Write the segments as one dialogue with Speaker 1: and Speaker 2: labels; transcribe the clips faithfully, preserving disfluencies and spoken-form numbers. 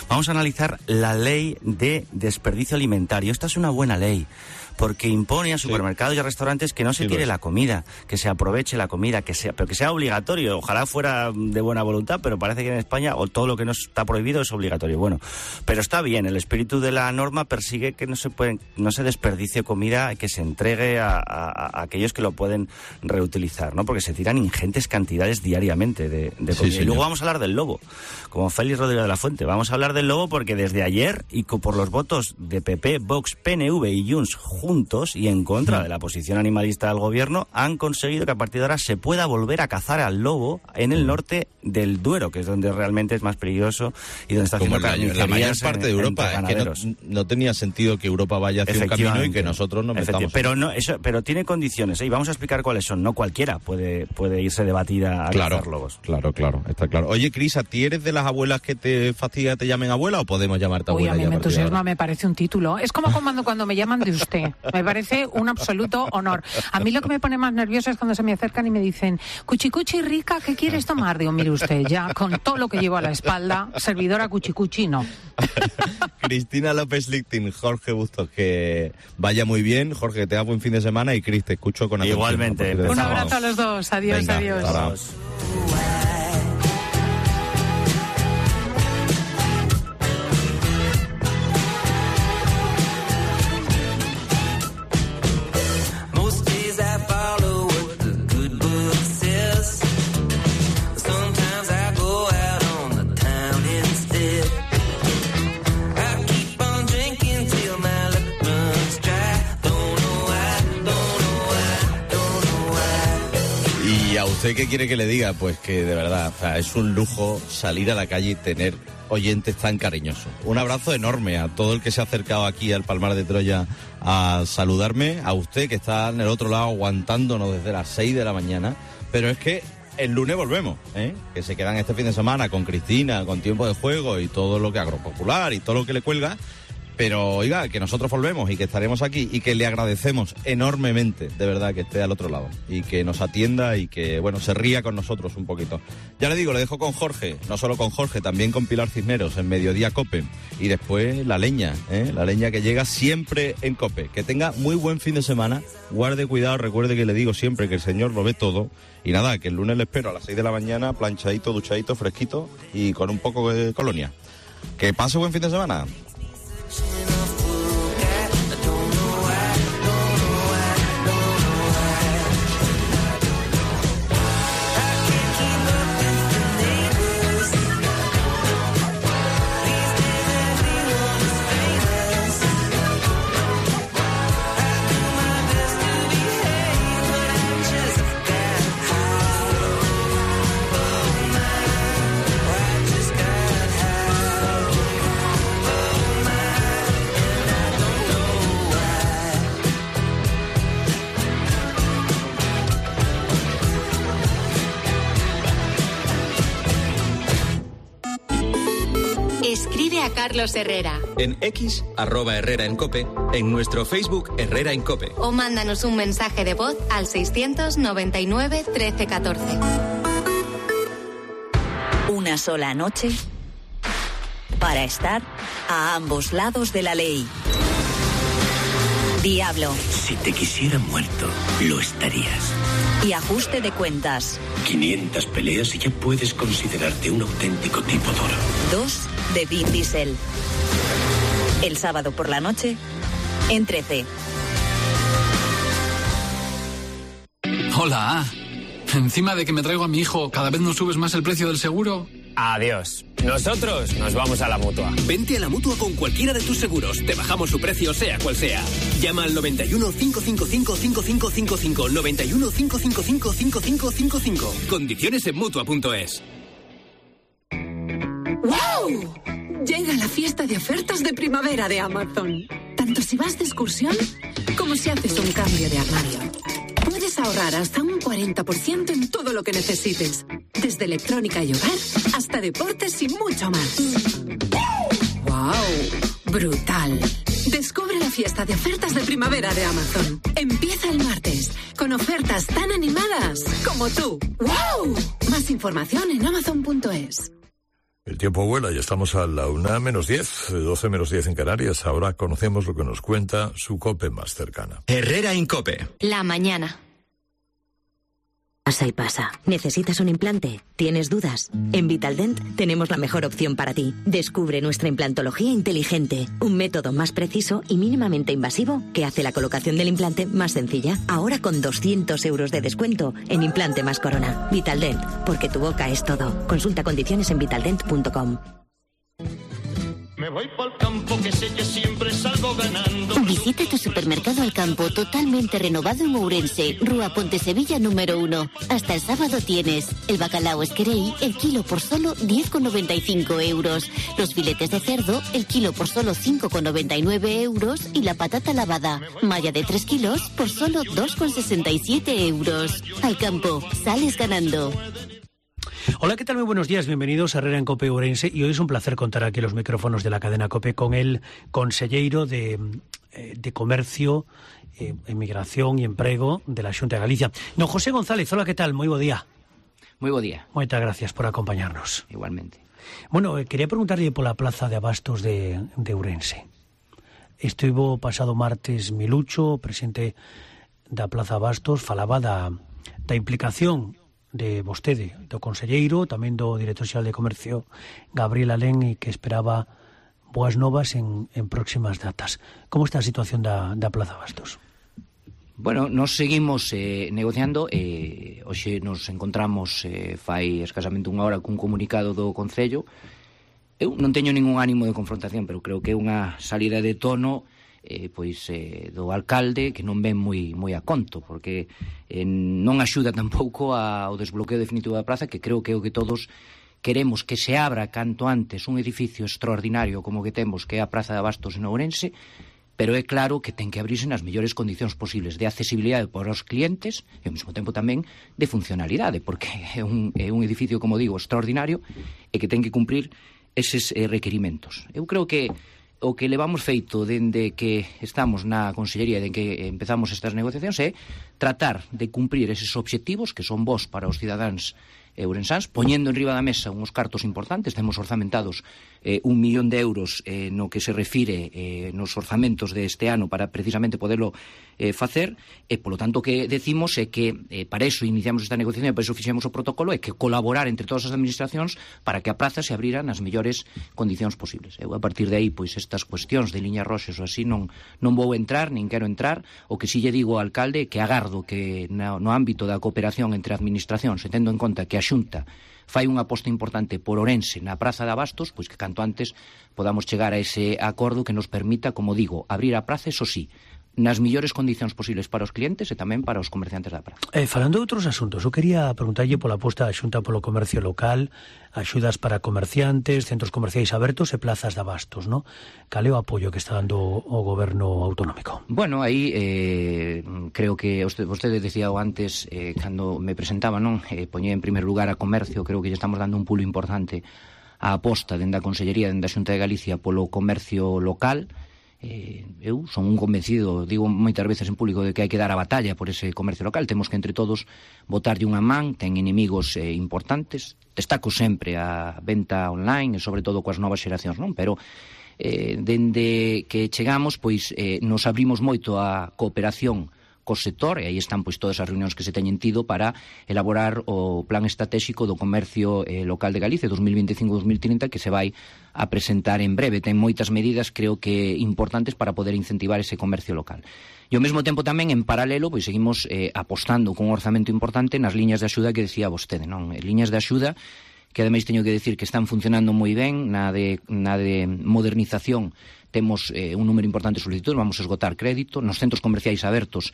Speaker 1: Vamos a analizar la ley de desperdicio alimentario. Esta es una buena ley, porque impone a supermercados sí. y a restaurantes que no se sí, tire pues. la comida, que se aproveche la comida, que sea, pero que sea obligatorio. Ojalá fuera de buena voluntad, pero parece que en España o todo lo que no está prohibido es obligatorio. Bueno, pero está bien, el espíritu de la norma persigue que no se pueden, no se desperdicie comida, que se entregue a, a, a aquellos que lo pueden reutilizar, ¿no? Porque se tiran ingentes cantidades diariamente de, de comida. Sí, y luego vamos a hablar del lobo, como Félix Rodríguez de la Fuente. Vamos a hablar del lobo porque desde ayer, y por los votos de P P, Vox, P N V y Junts juntos y en contra de la posición animalista del gobierno, han conseguido que a partir de ahora se pueda volver a cazar al lobo en el norte del Duero, que es donde realmente es más peligroso y donde está haciendo carnicerías.
Speaker 2: La mayor parte de Europa, es que no, no tenía sentido que Europa vaya hacia un camino y que nosotros nos metamos.
Speaker 1: Pero no, eso, pero tiene condiciones, ¿eh? Y vamos a explicar cuáles son. No cualquiera puede, puede irse de batida a
Speaker 2: claro,
Speaker 1: cazar lobos.
Speaker 2: Claro, claro, está claro. Oye, Cris, ¿a ti eres de las abuelas que te fastidia te llamen abuela o podemos llamarte abuela?
Speaker 3: Uy, a mí me entusiasma, me parece un título. Es como cuando, cuando me llaman de usted. Me parece un absoluto honor. A mí lo que me pone más nerviosa es cuando se me acercan y me dicen, cuchicuchi rica, ¿qué quieres tomar? Digo, mire usted, ya con todo lo que llevo a la espalda, servidora cuchicuchi, no.
Speaker 2: Cristina López Lichting, Jorge Bustos, que vaya muy bien. Jorge, que tengas buen fin de semana y Cris, te escucho con atención.
Speaker 1: Igualmente.
Speaker 3: Un abrazo a los dos. Adiós,
Speaker 2: Venga,
Speaker 3: adiós.
Speaker 2: Adiós. ¿Usted qué quiere que le diga? Pues que de verdad, o sea, es un lujo salir a la calle y tener oyentes tan cariñosos. Un abrazo enorme a todo el que se ha acercado aquí al Palmar de Troya a saludarme, a usted que está en el otro lado aguantándonos desde las seis de la mañana, pero es que el lunes volvemos, ¿eh? Que se quedan este fin de semana con Cristina, con Tiempo de Juego y todo lo que Agropopular y todo lo que le cuelga. Pero, oiga, que nosotros volvemos y que estaremos aquí y que le agradecemos enormemente, de verdad, que esté al otro lado y que nos atienda y que, bueno, se ría con nosotros un poquito. Ya le digo, le dejo con Jorge, no solo con Jorge, también con Pilar Cisneros en Mediodía Cope y después la leña, ¿eh? La leña que llega siempre en Cope. Que tenga muy buen fin de semana, guarde cuidado, recuerde que le digo siempre que el Señor lo ve todo y nada, que el lunes le espero a las seis de la mañana, planchadito, duchadito, fresquito y con un poco de colonia. Que pase buen fin de semana.
Speaker 4: Escribe a Carlos Herrera.
Speaker 5: En X, arroba Herrera en Cope, en nuestro Facebook Herrera en Cope.
Speaker 4: O mándanos un mensaje de voz al seiscientos noventa y nueve trece catorce.
Speaker 6: Una sola noche para estar a ambos lados de la ley. Diablo.
Speaker 7: Si te quisiera muerto, lo estarías.
Speaker 6: Y ajuste de cuentas.
Speaker 7: quinientas peleas y ya puedes considerarte un auténtico tipo duro.
Speaker 6: Dos de Vin Diesel. El sábado por la noche, en trece.
Speaker 8: Hola. Encima de que me traigo a mi hijo, ¿cada vez nos subes más el precio del seguro?
Speaker 9: Adiós. Nosotros nos vamos a la Mutua.
Speaker 10: Vente a la Mutua con cualquiera de tus seguros. Te bajamos su precio, sea cual sea. Llama al noventa y uno, cinco cinco cinco, cinco cinco cinco cinco. noventa y uno, cinco cinco cinco, cinco cinco cinco cinco. Condiciones en Mutua punto es.
Speaker 11: ¡Wow! Llega la fiesta de ofertas de primavera de Amazon. Tanto si vas de excursión como si haces un cambio de armario. Puedes ahorrar hasta un cuarenta por ciento en todo lo que necesites. Desde electrónica y hogar hasta deportes y mucho más. ¡Wow! ¡Brutal! Descubre la fiesta de ofertas de primavera de Amazon. Empieza el martes con ofertas tan animadas como tú. ¡Wow! Más información en amazon punto es.
Speaker 12: El tiempo vuela y estamos a la una menos diez, doce menos diez en Canarias. Ahora conocemos lo que nos cuenta su COPE más cercana.
Speaker 5: Herrera en COPE.
Speaker 4: La mañana.
Speaker 6: Pasa y pasa. ¿Necesitas un implante? ¿Tienes dudas? En Vitaldent tenemos la mejor opción para ti. Descubre nuestra implantología inteligente, un método más preciso y mínimamente invasivo que hace la colocación del implante más sencilla. Ahora con doscientos euros de descuento en implante más corona. Vitaldent, porque tu boca es todo. Consulta condiciones en vitaldent punto com.
Speaker 13: Me voy pa'l campo que sé que siempre salgo ganando.
Speaker 14: Visita tu supermercado Al Campo totalmente renovado en Ourense, Rúa Pontesevilla número uno. Hasta el sábado tienes el bacalao Esquerei, el kilo por solo diez con noventa y cinco euros. Los filetes de cerdo, el kilo por solo cinco con noventa y nueve euros. Y la patata lavada, malla de tres kilos, por solo dos con sesenta y siete euros. Al Campo, sales ganando.
Speaker 15: Hola, ¿qué tal? Muy buenos días, bienvenidos a Herrera en COPE Ourense, y hoy es un placer contar aquí los micrófonos de la cadena COPE con el conselleiro de, de Comercio, eh, Emigración y Emprego de la Xunta de Galicia, don José González. Hola, ¿qué tal? Muy buen día.
Speaker 16: Muy buen día.
Speaker 15: Muchas gracias por acompañarnos.
Speaker 16: Igualmente.
Speaker 15: Bueno, eh, quería preguntarle por la plaza de abastos de, de Ourense. Estivo pasado martes Milucho, presidente da Plaza Abastos, falaba da, da implicación de vostede, do conselleiro, tamén do director xeral de Comercio, Gabriel Alén, e que esperaba boas novas en, en próximas datas. Como está a situación da, da Plaza Abastos?
Speaker 16: Bueno, nos seguimos eh, negociando. Eh, hoxe nos encontramos eh, fai escasamente unha hora cun comunicado do Concello. Eu non teño ningún ánimo de confrontación, pero creo que é unha salida de tono Eh, pois eh, do alcalde que non ven moi moi a conto, porque eh, non axuda tampouco ao desbloqueo definitivo da praza, que creo que é o que todos queremos, que se abra canto antes un edificio extraordinario como que temos, que é a Praza de Abastos en Ourense, pero é claro que ten que abrirse nas mellores condicións posibles de accesibilidade para os clientes e ao mesmo tempo tamén de funcionalidade, porque é un, é un edificio, como digo, extraordinario e que ten que cumprir eses eh, requerimentos. Eu creo que o que levamos feito dende que estamos na Consellería, de que empezamos estas negociacións, é tratar de cumprir eses obxectivos que son bons para os cidadáns ourensáns, poñendo en riba da mesa uns cartos importantes. Temos orzamentados eh, un millón de euros eh, no que se refire eh, nos orzamentos deste ano para precisamente poderlo eh, facer, e polo tanto o que decimos é que eh, para eso iniciamos esta negociación e para eso fixemos o protocolo, é que colaborar entre todas as administracións para que a praza se abrira nas mellores condicións posibles. Eu a partir de aí, pois estas cuestións de liñas roxas ou así non, non vou entrar, nin quero entrar. O que si lle digo ao alcalde é que agardo que no, no ámbito da cooperación entre administracións, e tendo en conta que a Xunta fai unha aposta importante por Ourense na Praza de Abastos, pois que canto antes podamos chegar a ese acordo que nos permita, como digo, abrir a praza, eso sí, nas millores condicións posibles para os clientes e tamén para os comerciantes da praza.
Speaker 15: Eh, falando de outros asuntos, eu quería preguntarlle pola aposta da Xunta polo comercio local, axudas para comerciantes, centros comerciais abertos e plazas de abastos, ¿no? Cal é o apoio que está dando o goberno autonómico?
Speaker 16: Bueno, aí eh, creo que vostede, vostede decía antes, eh, cando me presentaba, non? Eh, poñé en primer lugar a comercio. Creo que lle estamos dando un pulo importante á aposta dende a Consellería, dende a Xunta de Galicia polo comercio local. Eh, eu son un convencido, digo moitas veces en público, de que hai que dar a batalla por ese comercio local. Temos que entre todos botarlle unha man. Ten inimigos eh, importantes. Destaco sempre a venta online e sobre todo coas novas xeracións, non? Pero eh, dende que chegamos, pois eh, nos abrimos moito a cooperación co sector, e aí están pois todas as reunións que se teñen tido para elaborar o plan estratégico do comercio eh, local de Galicia dos mil veinticinco a dos mil trinta, que se vai a presentar en breve. Ten moitas medidas, creo que importantes, para poder incentivar ese comercio local. E ao mesmo tempo tamén, en paralelo, pois seguimos eh, apostando con un orzamento importante nas liñas de axuda que decía vostede, non? Liñas de axuda que ademais teño que decir que están funcionando moi ben. Na de, na de modernización temos eh, un número importante de solicitudes, vamos a esgotar crédito. Nos centros comerciais abertos,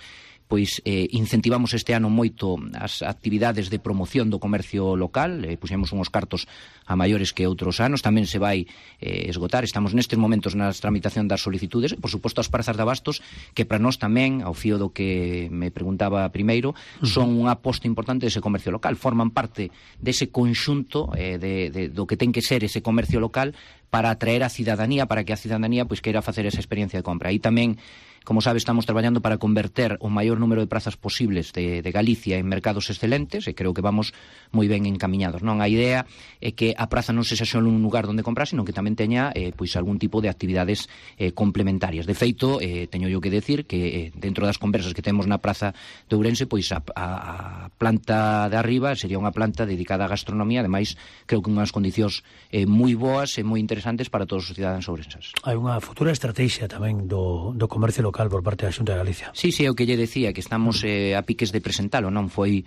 Speaker 16: pois eh, incentivamos este ano moito as actividades de promoción do comercio local, eh, puxemos unhos cartos a maiores que outros anos, tamén se vai eh, esgotar. Estamos nestes momentos na tramitación das solicitudes, por suposto as prazas de abastos, que para nós tamén, ao fío do que me preguntaba primeiro, son unha aposta importante dese comercio local, forman parte dese conxunto eh, de, de, do que ten que ser ese comercio local para atraer a cidadanía, para que a cidadanía pois queira facer esa experiencia de compra. Aí tamén Como sabe, estamos traballando para converter o maior número de prazas posibles de, de Galicia en mercados excelentes, e creo que vamos moi ben encamiñados, non? A idea é que a praza non sexa só un lugar onde comprar, sino que tamén teña eh, pois algún tipo de actividades eh, complementarias. De feito, eh, teño yo que decir que eh, dentro das conversas que temos na praza de Ourense, pois a, a, a planta de arriba sería unha planta dedicada á gastronomía, ademais creo que unhas condicións eh, moi boas e moi interesantes para todos os cidadáns ourenses.
Speaker 15: Hai unha futura estrategia tamén do, do comercio local por parte da Xunta de Galicia.
Speaker 16: Sí, sí, é o que lle decía, que estamos eh, a piques de presentalo, non? Foi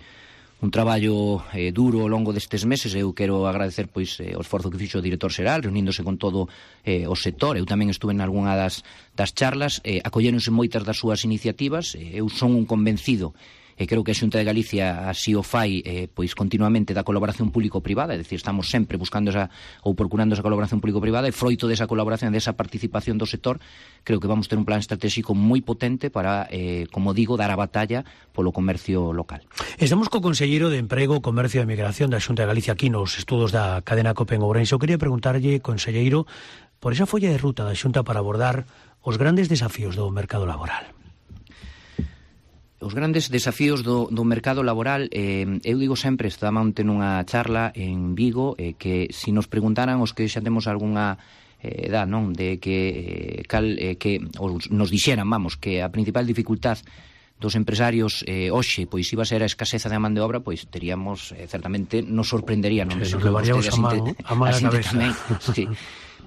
Speaker 16: un traballo eh, duro ao longo destes meses. Eu quero agradecer pois eh, o esforzo que fixo o director xeral, reuníndose con todo eh, o sector. Eu tamén estuve en algunha das, das charlas, eh, acolléronse moitas das súas iniciativas. eh, eu son un convencido, e creo que a Xunta de Galicia así o fai eh, pois continuamente, da colaboración público-privada, é dicir, estamos sempre buscando esa, ou procurando esa colaboración público-privada, e froito desa colaboración, desa participación do sector, creo que vamos ter un plan estratégico moi potente para, eh, como digo, dar a batalla polo comercio local.
Speaker 15: Estamos co conselleiro de Emprego, Comercio e Migración da Xunta de Galicia aquí nos estudos da cadena COPE en Ourense. Eu quería preguntarlle, conselleiro, por esa folla de ruta da Xunta para abordar os grandes desafíos do mercado laboral.
Speaker 16: Os grandes desafíos do, do mercado laboral, eh, eu digo sempre, estaba onte nunha charla en Vigo, eh, que se si nos preguntaran os que xa temos algunha eh, edad, non, de que, eh, cal, eh, que os, nos dixeran, vamos, que a principal dificultad dos empresarios eh, hoxe, pois iba a ser a escaseza de man de obra, pois teríamos, eh, certamente, nos sorprendería, non?
Speaker 15: Sí, nos levaríamos a man, a man a cabeza.
Speaker 16: Tamén, sí.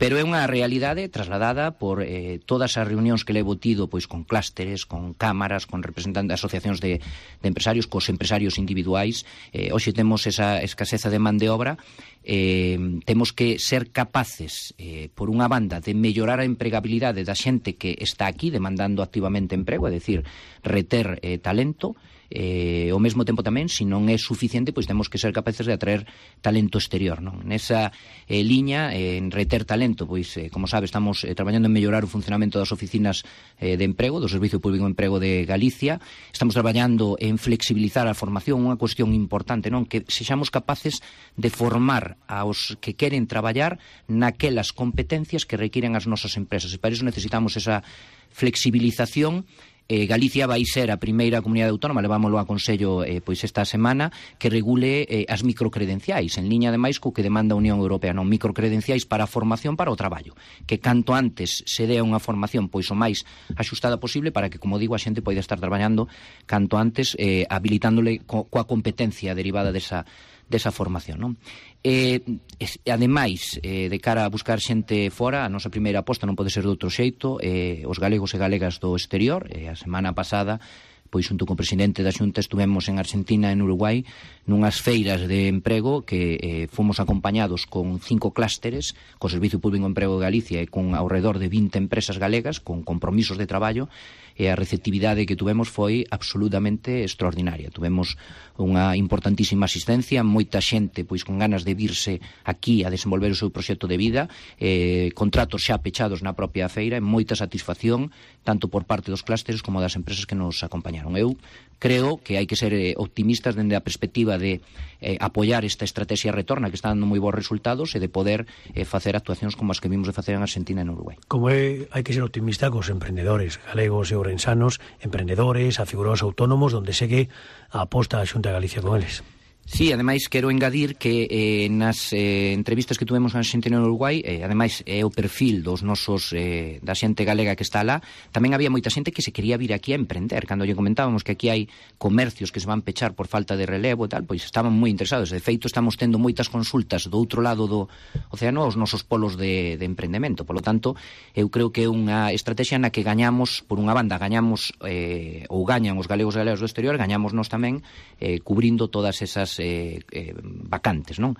Speaker 16: Pero é unha realidade trasladada por eh, todas as reunións que levo tido pois con clústeres, con cámaras, con representantes de asociacións de, de empresarios, cos empresarios individuais. Eh, hoxe temos esa escaseza de man de obra. Eh, temos que ser capaces, eh, por unha banda, de mellorar a empregabilidade da xente que está aquí demandando activamente emprego, é dicir, reter eh, talento. Eh, ao mesmo tempo tamén, se non é suficiente, pois temos que ser capaces de atraer talento exterior, non? Nesa eh, liña, eh, en reter talento, pois, eh, como sabe, estamos eh, traballando en mellorar o funcionamento das oficinas eh, de emprego, do Servicio Público de Emprego de Galicia. Estamos traballando en flexibilizar a formación, unha cuestión importante, non? Que sexamos capaces de formar aos que queren traballar naquelas competencias que requiren as nosas empresas, e para iso necesitamos esa flexibilización. Eh, Galicia vai ser a primeira comunidade autónoma, levámoslo a Consello eh, pois esta semana, que regule eh, as microcredenciais, en liña ademais co que demanda a Unión Europea, non, microcredenciais para a formación para o traballo, que canto antes se dea unha formación pois o máis axustada posible para que, como digo, a xente poida estar traballando canto antes, eh, habilitándole co, coa competencia derivada desa desa formación, non? Eh, es, ademais, eh, de cara a buscar xente fora, a nosa primeira aposta non pode ser de outro xeito, eh, os galegos e galegas do exterior. Eh, a semana pasada, pois xunto con o presidente da Xunta estuvemos en Argentina e en Uruguai nunhas feiras de emprego que eh, fomos acompañados con cinco clústeres, co Servicio Público de Emprego de Galicia e con ao redor de vinte empresas galegas con compromisos de traballo, e a receptividade que tuvemos foi absolutamente extraordinaria. Tuvemos unha importantísima asistencia, moita xente pois con ganas de virse aquí a desenvolver o seu proxecto de vida, eh, contratos xa pechados na propia feira, e moita satisfacción tanto por parte dos clústeres como das empresas que nos acompañaron. Eu creo que hai que ser eh, optimistas dende a perspectiva de eh, apoiar esta estrategia retorna que está dando moi bons resultados, e de poder eh, facer actuacións como as que vimos de facer en Argentina e en Uruguai.
Speaker 15: Como é, hai que ser optimista cos emprendedores galegos e ourensanos, emprendedores, afigurados autónomos, donde segue a aposta da Xunta de Galicia con eles.
Speaker 16: Sí, ademais quero engadir que eh, nas eh, entrevistas que tuvemos en Argentina e en Uruguai, eh, ademais é o perfil dos nosos eh, da xente galega que está lá, tamén había moita xente que se quería vir aquí a emprender. Cando lle comentábamos que aquí hai comercios que se van pechar por falta de relevo e tal, pois estaban moi interesados. De feito, estamos tendo moitas consultas do outro lado do océano aos nosos polos de, de emprendemento. Por lo tanto, eu creo que é unha estrategia na que gañamos, por unha banda, gañamos eh, ou gañan os galegos e galegas do exterior, gañamos nós tamén eh, cubrindo todas esas Eh, eh, vacantes, non?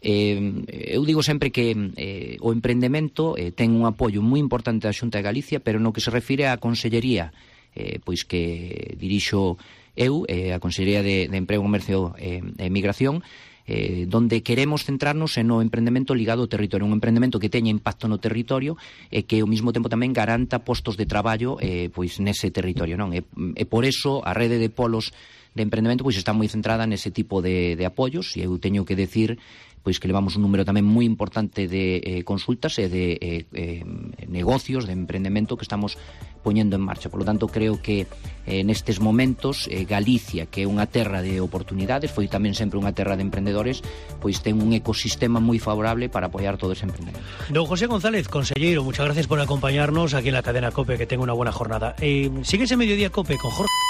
Speaker 16: Eh, eu digo sempre que eh, o emprendemento eh, ten un apoio moi importante da Xunta de Galicia, pero no que se refire á consellería eh, pois que dirixo eu, eh, a Consellería de, de Emprego, Comercio e eh, Migración, eh, donde queremos centrarnos en o emprendemento ligado ao territorio, un emprendemento que teña impacto no territorio e que ao mesmo tempo tamén garanta postos de traballo eh, pois nese territorio, non? E, e por eso a rede de polos de emprendemento pois está moi centrada nese tipo de, de apoios, e eu teño que decir pois que levamos un número tamén moi importante de eh, consultas e de eh, eh, negocios de emprendemento que estamos poñendo en marcha. Por lo tanto, creo que eh, nestes momentos eh, Galicia, que é unha terra de oportunidades, foi tamén sempre unha terra de emprendedores, pois ten un ecosistema moi favorable para apoiar todo ese emprendedor.
Speaker 15: Don José González, consellero, muchas gracias por acompañarnos aquí en la cadena COPE, que tenga una buena jornada. Eh, síguese Mediodía COPE con Jorge.